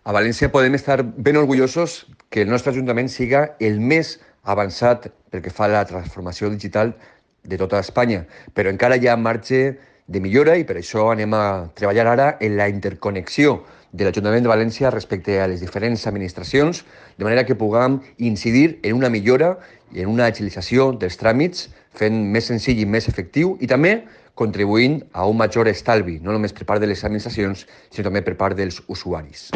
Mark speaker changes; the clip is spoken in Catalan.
Speaker 1: A València podem estar ben orgullosos que el nostre Ajuntament siga el més avançat pel que fa a la transformació digital de tota Espanya, però encara hi ha marge de millora i per això anem a treballar ara en la interconnexió de l'Ajuntament de València respecte a les diferents administracions, de manera que puguem incidir en una millora i en una agilització dels tràmits, fent més senzill i més efectiu i també contribuint a un major estalvi, no només per part de les administracions, sinó també per part dels usuaris.